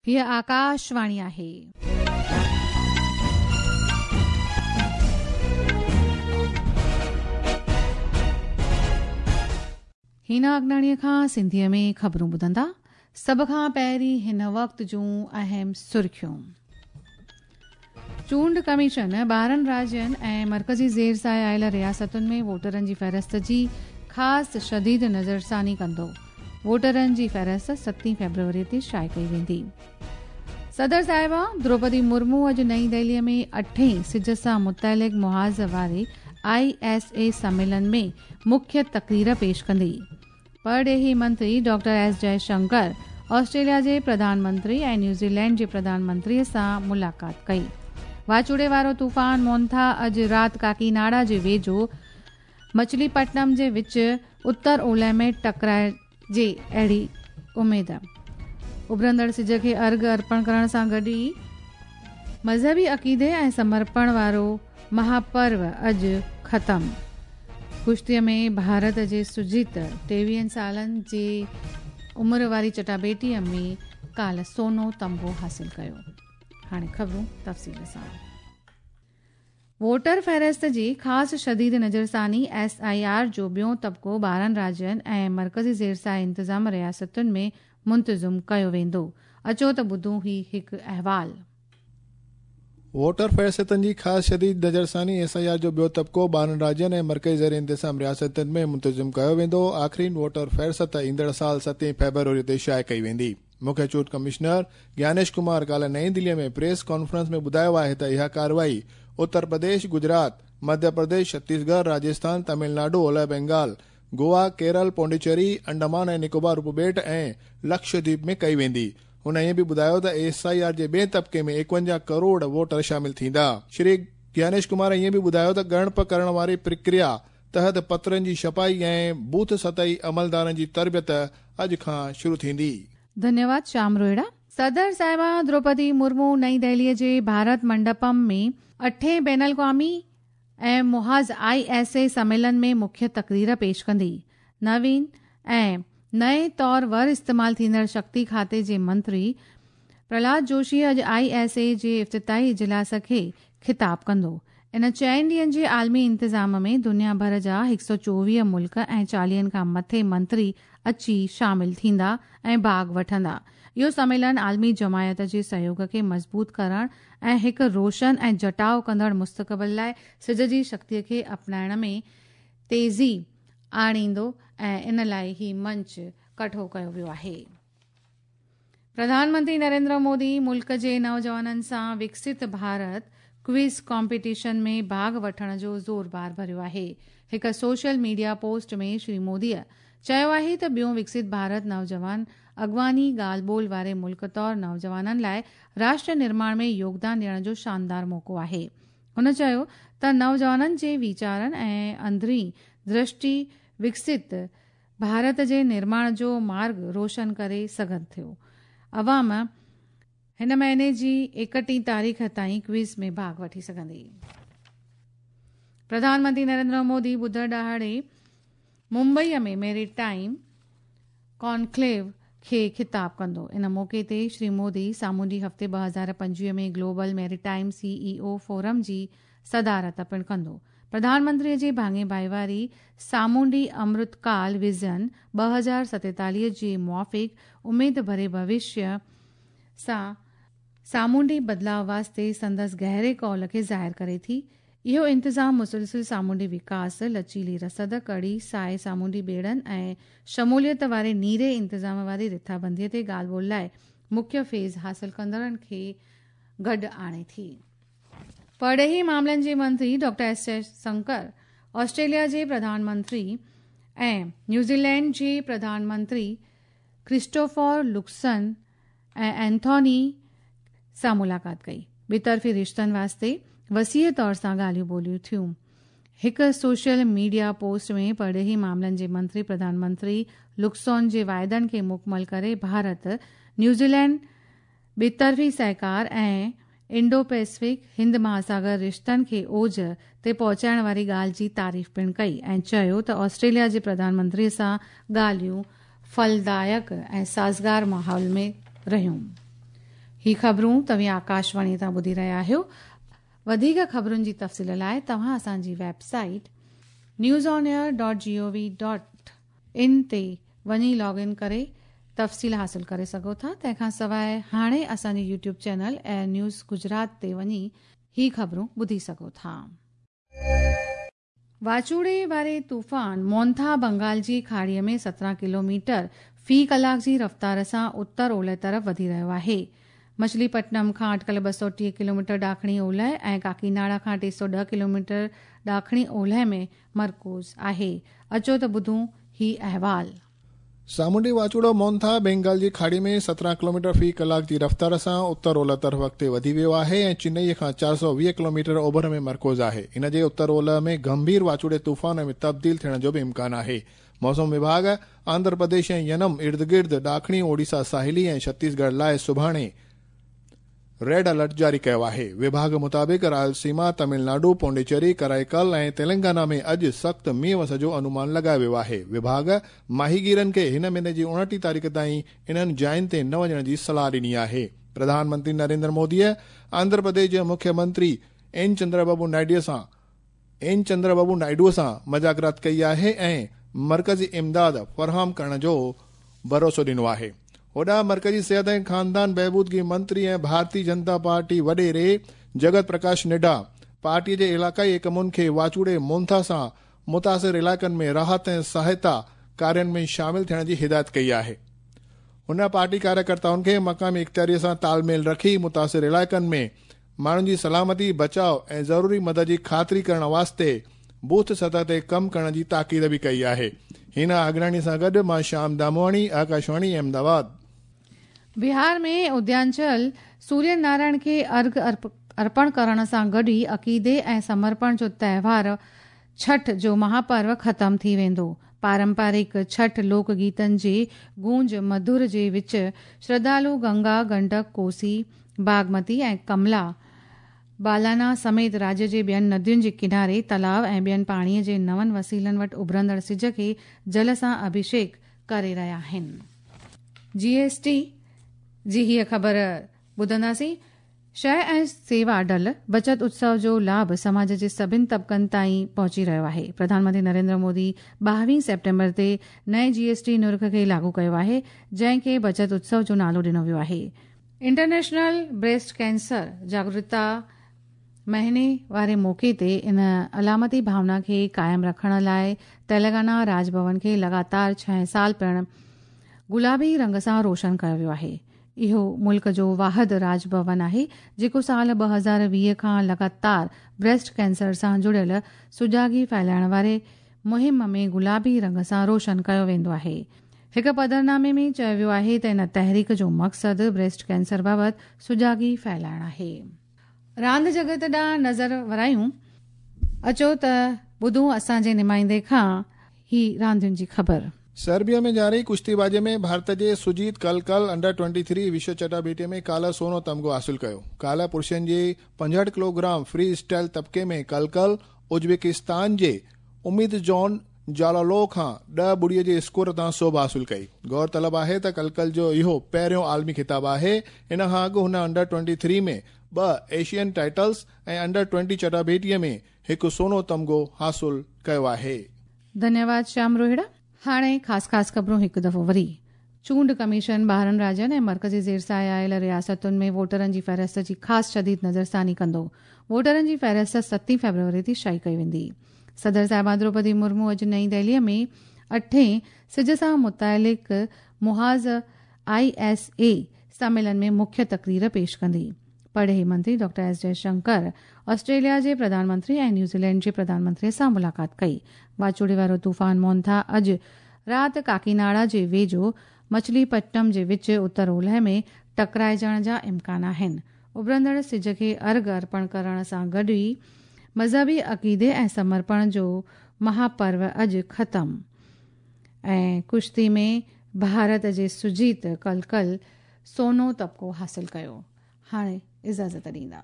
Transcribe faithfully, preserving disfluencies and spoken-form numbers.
हीअ आकाशवाणी आहे। हिना अगनाणीअ खां सिंधीअ में ख़बरूं ॿुधंदा। सभ खां पहिरीं हिन वक़्त जूं अहम सुर्खियूं। चूंड कमीशन ॿारहं राज्यनि ऐं मर्कज़ी ज़ेर साए आयल रियासतुनि में वोटरनि जी फ़हरिस्त जी ख़ासि शदीद नज़रसानी कंदो। वोटरनि जी फ़हरिस्त सतीं फ़ेब्रुवरी ते शाए कई वेंदी। सदर साहिबा द्रौपदी मुर्मू अॼु नई दिल्लीअ में अठें सिज सां मुतअलिक़ मुहाज़ वारे I S A सम्मेलन में मुख्य तकरीर पेश कंदी। परॾेही मंत्री डॉक्टर एस जयशंकर ऑस्ट्रेलिया जे प्रधानमंत्री ऐं न्यूज़ीलैंड जे प्रधानमंत्रीअ सां मुलाक़ात कई। वाचूड़े वारो तूफ़ान मोंथा अॼु राति काकीनाडा जे वेझो मछलीपट्टनम जे विच उत्तर ओलह में टकराइजे अहिड़ी उमेद। उभरंदड़ सिज खे अर्घ अर्पण करण सां गॾु ई मज़हबी अक़ीदे ऐं समर्पण वारो महापर्व अॼु ख़तमु। कुश्तीअ में भारत जे सुजीत टेवीहनि सालनि जे उमिरि वारी चटाबेटीअ में काल्ह सोनो तमगो हासिल कयो। हाणे ख़बरूं तफ़सील सां। वोटर फ़हरिस्त जी ख़ासि शदीद नज़रसानी एस I R जो ॿियो तबिको ॿारहं राज्यनि ऐं मर्कज़ी ज़ेर साए इंतज़ाम रियासतुनि में मुंतज़िम कयो वेंदो। अचो त ॿुधूं ही हिकु अहवाल। वोटर फ़हरिस्तनि जी ख़ासि शदीद नज़रसानी एस I R जो ॿियो तबिको ॿारहं राज्यनि ऐं मर्कज़ी ज़ेर इंतज़ाम रियासतुनि में मुंतज़िम कयो वेंदो। आख़िरी वोटर फ़हरिस्त ईंदड़ साल सतें फ़ेब्रुवरी ते शाए कई वेंदी। मुख्य चूंड कमिश्नर ज्ञानेश कुमार काल्ह नई दिल्लीअ में प्रेस कॉन्फ्रेंस में ॿुधायो आहे त इहा कार्रवाई उत्तर प्रदेश, गुजरात, मध्य प्रदेश, छत्तीसगढ़, राजस्थान, तमिलनाडु, ओलह बंगाल, गोवा, केरल, पौंडीचेरी, अंडमान ऐं निकोबार उपॿेट ऐं लक्षद्वीप में कई वेंदी। हुन ईअं बि ॿुधायो त एस I R जे ॿिए तबिके में एकवंजाह करोड़ वोटर शामिल थींदा। श्री ज्ञानेश कुमार ईअं बि ॿुधायो त ॻणप करण वारी प्रक्रिया तहत पत्रनि जी छपाई ऐं बूथ सतही अमलदारनि जी तरबियत अॼु खां शुरू थींदी। धन्यवाद श्याम रोहिड़ा। सदर साहिबा द्रौपदी मुर्मू नई दिल्लीअ जे भारत मंडपम में अठें बैन अल-अक़वामी ऐं मुहाज़ I S A सम्मेलन में मुख्य तकरीर पेश कंदी। नवीन ऐं नए तौर वर इस्तेमाल थींदड़ शक्ति खाते जे मंत्री प्रहलाद जोशी अॼु I S A जे इफ़्तिताही इजलास खे ख़िताब कंदो। इन चइनि ॾींहनि जे आलमी इंतज़ाम में दुनिया भर जा हिकु सौ चोवीह मुल्क ऐं चालीहनि खां मथे मंत्री अची शामिल थींदा ऐं भाॻ वठंदा। इहो सम्मेलन आलमी जमायत जे सहयोग खे मज़बूत करण ऐं हिकु रोशन ऐं जटाव कंदड़ मुस्तक़बिल लाइ सिज जी शक्तीअ खे अपनाइण में तेज़ी आणींदो ऐं इन लाइ ही मंच कठो कयो वियो आहे। प्रधानमंत्री नरेंद्र मोदी मुल्क जे नौजवाननि सां विकसित भारत क्विज़ कॉम्पिटिशन में भाॻ वठण जो ज़ोर भार भरियो आहे। हिकु सोशल मीडिया पोस्ट में श्री मोदीअ चयो आहे त ॿियो विकसित भारत नौजवान अॻवानी ॻाल्हि ॿोल वारे मुल्क तौर नौजवाननि लाइ राष्ट्र निर्माण में योगदान ॾियण जो शानदार मौक़ो आहे। हुन चयो त नौजवाननि जे वीचारनि ऐं अंदरीं दृष्टि विकसित भारत जे निर्माण जो मार्ग रोशन करे सघनि थियो। अवाम हिन महीने जी एकटीह तारीख़ ताईं क्विज़ में भाॻ वठी सघंदी। प्रधानमंत्री नरेंद्र मोदी ॿुधर ॾिहाड़े मुंबईअ में मेरीटाइम कॉन्क्लेव खे ख़िताब कंदो। इन मौक़े ते श्री मोदी सामुंडी हफ़्ते ॿ हज़ार पंजवीह में global maritime C E O forum जी सदारत पिणु कंदो। प्रधानमंत्रीअ जे भाङे भाईवारी सामुंडी अमृतकाल विज़न ॿ हज़ार सतेतालीह जे मुआफ़िक़ उमेद भरे भविष्य सां सामुंडी बदिलाव वास्ते संदसि गहरे कौल खे ज़ाहिर करे थी। इहो इंतज़ाम मुसलसिल सामुंडी विकास, लचीली रसद, कड़ी साए सामुंडी ॿेड़नि ऐं शमूलियत वारे नीरे इंतज़ाम वारी रिथाबंदीअ ते ॻाल्हि ॿोल लाइ मुख्य फ़ेज़ हासिल कंदड़नि खे गॾु आणे थी। परॾेही मामलनि जे मंत्री डॉक्टर एस जयशंकर ऑस्ट्रेलिया जे प्रधानमंत्री ऐं न्यूज़ीलैंड जे प्रधानमंत्री क्रिस्टोफर लुक्सन ऐं एंथोनी सां मुलाक़ात कई। ॿितरफ़ी रिश्तनि वास्ते वसीअ तौर सां ॻाल्हियूं ॿोलियूं थियूं। हिकु सोशल मीडिया पोस्ट में परॾेही मामलनि जे मंत्री प्रधानमंत्री लुक्सोन जे वाइदनि खे मुकमल करे भारत न्यूज़ीलैंड ॿितरफ़ी सहकार ऐं इंडो पैसिफिक हिंद महासागर रिश्तनि खे ओज ते पहुचाइण वारी ॻाल्हि जी तारीफ़ पिणु कई ऐं चयो त ऑस्ट्रेलिया जे प्रधानमंत्रीअ सां ॻाल्हियूं फलदायक ऐं साज़गार माहौल में रहियूं। ही ख़बरूं तव्हीं आकाशवाणी तां ॿुधी रहिया आहियो। वधीक ख़बरुनि जी तफ़सील लाइ तव्हां असांजी website news on air dot G O V dot in ते वञी लॉग इन करे तफ़सील हासिल करे सघो था। तंहिंखां सवाइ हाणे असांजे YouTube channel Air News Gujarat ते वञी ही ख़बरूं ॿुधी सघो था। वाचूड़े वारे तूफ़ान मोंथा बंगाल जी खाड़ीअ में सत्रहं किलोमीटर फ़ी कलाक जी रफ़्तार सां उत्तर ओलह तरफ़ वधी रहियो आहे। मछलीपट्टनम खां अटकल ॿ सौ टीह किलोमीटर ॾाखिणी ओलह ऐं काकीनाडा खां टे सौ ॾह किलोमीटर ॾाखिणी ओलह में मरकूज़ आहे। अचो त ॿुधूं ही अहवाल। सामुंडी वाचूड़ो मोंथा बंगाल जी खाड़ी में सत्रहं किलोमीटर फ़ी कलाक जी रफ़्तार सां उत्तर ओलह तरफ़ अॻिते वधी वियो आहे ऐं चेन्नई खां चारि सौ वीह किलोमीटर ओभर में मरकूज़ आहे। इन जे उत्तर ओलह में गंभीर वाचूड़े तूफ़ान में तब्दील थियण जो बि इम्कान आहे। मौसम विभाग आंध्र प्रदेश ऐं यनम इर्द गिर्द ॾाखिणी ओडिशा साहिली ऐं छत्तीसगढ़ लाइ सुभाणे रेड अलर्ट जारी कयो आहे। विभाग मुताबिक़ रायलसीमा, तमिलनाडु, पौंडीचेरी, कराईकल ऐं तेलंगाना में अॼु सख़्तु मींहुं वस जो अनुमान लॻायो वियो आहे। विभाग माहीगीरनि खे हिन महीने जी उणिटीह तारीख़ ताईं इन्हनि जायुनि ते न वञण जी सलाह ॾिनी आहे। प्रधानमंत्री नरेंद्र मोदीअ आंध्र प्रदेश जे मुख्यमंत्री एन चंद्रबाबू नायडू सां एन चंद्रबाबू नायडूअ सां मज़ाकरात कई आहे ऐं मर्कज़ी इमदाद फराहम करण जो भरोसो ॾिनो आहे। होॾां मर्कज़ी सिहत ऐं ख़ानदान बहबूदगी मंत्री ऐं भारतीय जनता पार्टी वॾेरे जगत प्रकाश नड्डा पार्टीअ जे इलाइक़ाई एकमुनि खे वाचूड़े मोंथा सां मुतासिर इलाइक़नि में राहत ऐं सहायता कार्यनि में शामिल थियण जी हिदायत कई आहे। हुन पार्टी कार्यकर्ताउनि खे मक़ामी इख़्तियारीअ सां तालमेल रखी मुतासिर इलाइक़नि में माण्हुनि जी सलामती, बचाव ऐं ज़रूरी मदद जी ख़ातिरी करण वास्ते बूथ सतह ते कमु करण जी ताक़ीद बि कई आहे। हिन आगराणी सां गॾु मां श्याम दामोआणी, आकाशवाणी अहमदाबाद। बिहार में उद्यांचल सूर्य नारायण खे अर्घ अर्पण करण सां गॾु ई अक़ीदे ऐं समर्पण जो त्योहार छठ जो महापर्व ख़तमु थी वेंदो। पारंपरिक छठ लोक गीतनि जी गूंज मधुर जे विच श्रद्धालु गंगा, गंडक, कोसी, बागमती ऐं कमला बालाना समेत राज्य जे ॿियनि नदियुनि जे किनारे तलाव ऐं ॿियनि पाणीअ जे नवनि वसीलनि वटि उभरंदड़ सिज खे जल सां अभिषेक करे रहिया आहिनि। जीएसटी जी हीअ ख़बर ॿुधंदासीं। शइ ऐं सेवा डल बचत उत्सव जो लाभ समाज जे सभिनि तबकनि ताईं पहुची रहियो आहे। प्रधानमंत्री नरेंद्र मोदी ॿावीह सेप्टेम्बर ते नए जीएसटी नुर्ख खे लागू कयो आहे, जंहिंखे बचत उत्सव जो नालो ॾिनो वियो आहे। इंटरनेशनल ब्रेस्ट कैंसर जागरूकता महीने वारे मौक़े ते इन अलामती भावना खे क़ाइमु रखण लाइ तेलंगाना राजभवन खे लगातार छह साल पिणु गुलाबी रंग सां रोशन कयो वियो आहे। इहो मुल्क जो वाहिद राजभवन आहे जेको साल ॿ हज़ार वीह खां लगातार ब्रेस्ट कैंसर सां जुड़ियल सुजागी फैलाइण वारे मुहिम में गुलाबी रंग सां रोशन कयो वेंदो आहे। हिकु पधरनामे में चयो वियो आहे त इन तहरीक जो मक़सदु ब्रेस्ट कैंसर बाबति सुजागी फैलाइण आहे। रांदि जगत ॾांहुं नज़र वरायूं, अचो त ॿुधूं असांजे नुमाइंदे खां ही रांदियुनि जी ख़बर। सर्बिया में जारी कुश्तीबाज़ी में भारत जे सुजीत कलकल अंडर ट्वेंटी थ्री विश्व चटाभेटी में काल्ह सोनो तमगो हासिल कयो। काल्ह पुरुषनि जे पंजहठि किलोग्राम फ्री स्टाइल तबके में कलकल उज़्बेकिस्तान जे उम्मीद जॉन जालालो खां ॾह ॿुड़ीअ जे स्कोर तां सोभ हासिल कई। गौर तलब आहे त कलकल जो इहो पहिरियों आलमी ख़िताब आहे। इन खां अॻु हुन अंडर ट्वेंटी थ्री में ॿ एशियन टाइटल्स ऐं अंडर ट्वेंटी चटाभेटीअ में हिकु सोनो तमगो हासिल कयो आहे। धन्यवाद श्याम रोहिड़ा। हाणे ख़ासि ख़ासि ख़बरूं हिकु दफ़ो वरी। चूंड कमीशन ॿारहं राज्यनि ऐं मर्कज़ी ज़ेर साया आयल रियासतुनि में वोटरनि जी फ़हरिस्त जी ख़ासि शदीद नज़रसानी कंदो। वोटरनि जी फ़हरिस्त सतें फ़ेब्रुवरी ते शाई कई वेंदी। सदर साहिबा द्रौपदी मुर्मू अॼु नई दिल्लीअ में अठें सिज सां मुतालिक़ मुहाज़ I S A सम्मेलन में मुख्य तकरीर पेश कंदी। परॾेही मंत्री डॉक्टर एस जयशंकर ऑस्ट्रेलिया जे प्रधानमंत्री ऐं न्यूज़ीलैंड जे प्रधानमंत्रीअ सां मुलाक़ात कई। वाचूड़े वारो तूफ़ान मोंथा अॼु राति काकीनाडा जे वेझो मछलीपट्टनम जे विच उत्तर ओलह में टकराइजण जा इम्कान आहिनि। उभरंदड़ सिज खे अर्घ अर्पण करण सां गॾु ई मज़हबी अक़ीदे ऐं समर्पण जो महापर्व अॼु ख़तमु। ऐं कुश्ती में भारत जे सुजीत कलकल सोनो तबको हासिल कयो। हाणे इजाज़त ॾींदा।